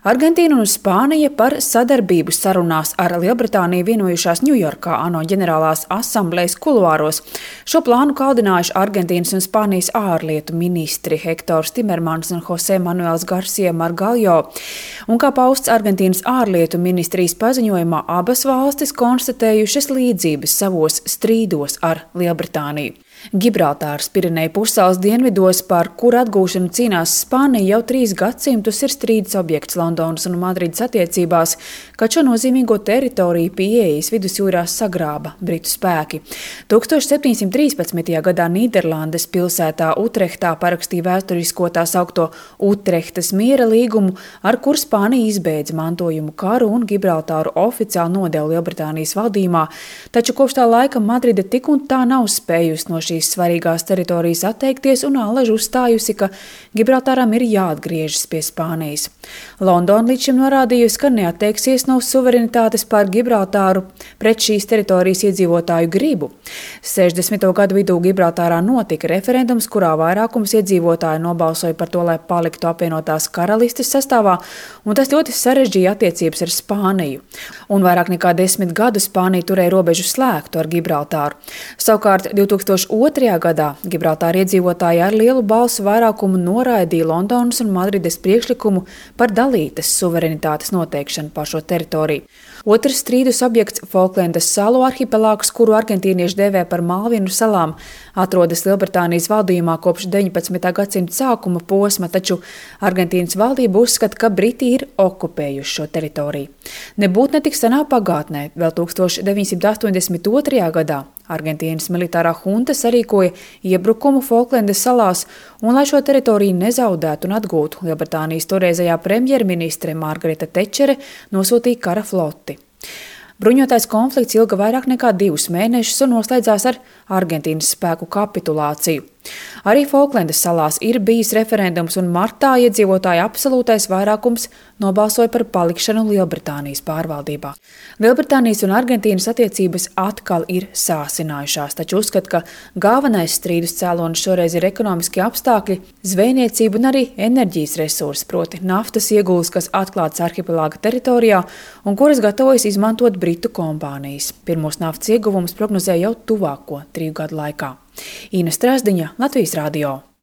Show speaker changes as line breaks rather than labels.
Argentīna un Spānija par sadarbību sarunās ar Lielbritāniju vienojušās Ņujorkā ANO ģenerālās asamblejas kuluāros. Šo plānu kaldinājuši Argentīnas un Spānijas ārlietu ministri Hektors Timermans un Jose Manuels Garcia Margallo. Un kā pausts Argentīnas ārlietu ministrijas paziņojumā, abas valstis konstatējušas līdzības savos strīdos ar Lielbritāniju. Gibraltāras Pireneju pussalas dienvidos, par kuru atgūšanu cīnās Spānija, jau 3 gadsimtus ir strīds objekts Londonas un Madrides attiecībās, kad šo nozīmīgo teritoriju pie ieejas vidusjūrā sagrāba britu spēki. 1713. gadā Nīderlandes pilsētā Utrehtā parakstīja vēsturisko tā saukto Utrehtas miera līgumu, ar kur Spānija izbeidza mantojumu karu un Gibraltāru oficiāli nodeva Lielbritānijas valdījumā, taču kopš tā laika Madride tik un tā nav spējusi no šīs svarīgās teritorijas atteikties un allaž uzstājusi, ka Gibraltāram ir jāatgriežas pie Spānijas. Londona līdz šim norādījusi, ka neatteiksies no suverenitātes pār Gibraltāru pret šīs teritorijas iedzīvotāju gribu. 60. gadu vidū Gibraltārā notika referendums, kurā vairākums iedzīvotāju nobalsoja par to, lai paliktu apvienotās karalistes sastāvā, un tas ļoti sarežģīja attiecības ar Spāniju. Un vairāk nekā 10 gadu Spānija turēja robežu slēgtu ar Gibraltāru. Savukārt 2002. gadā Gibraltāra iedzīvotāji ar lielu balsu vairākumu noraidīja Londonas un Madrides priekšlikumu par dalītas suverenitātes noteikšanu par šo teritoriju. Otrs strīdus objekts Folklendas salu arhipelāgs, kuru argentīnieši dēvē par Malvinu salām, atrodas Lielbritānijas valdījumā kopš 19. gadsimta sākuma posma, taču Argentīnas valdība uzskata, ka Briti ir okupējuši šo teritoriju. Nebūt netik senā pagātnē, vēl 1982. gadā, Argentīnas militārā hunta sarīkoja iebrukumu Folklendas salās, un, lai šo teritoriju nezaudētu un atgūtu, Lielbritānijas toreizējā premjerministre Margareta Tečere nosūtīja kara floti. Bruņotais konflikts ilga vairāk nekā 2 mēnešus un noslēdzās ar Argentīnas spēku kapitulāciju. Arī Folklendas salās ir bijis referendums, un martā iedzīvotāju absolūtais vairākums nobalsoja par palikšanu Lielbritānijas pārvaldībā. Lielbritānijas un Argentīnas attiecības atkal ir sāsinājušās, taču uzskata, ka galvenais strīdus cēlonis šoreiz ir ekonomiskie apstākļi, zvejniecība un arī enerģijas resursi, proti naftas ieguves, kas atklātas arhipelāga teritorijā un kuras gatavojas izmantot britu kompānijas. Pirmos naftas ieguvumus prognozēja jau tuvāko 3 gadu laikā. Ina Strasdiņa, Latvijas radio.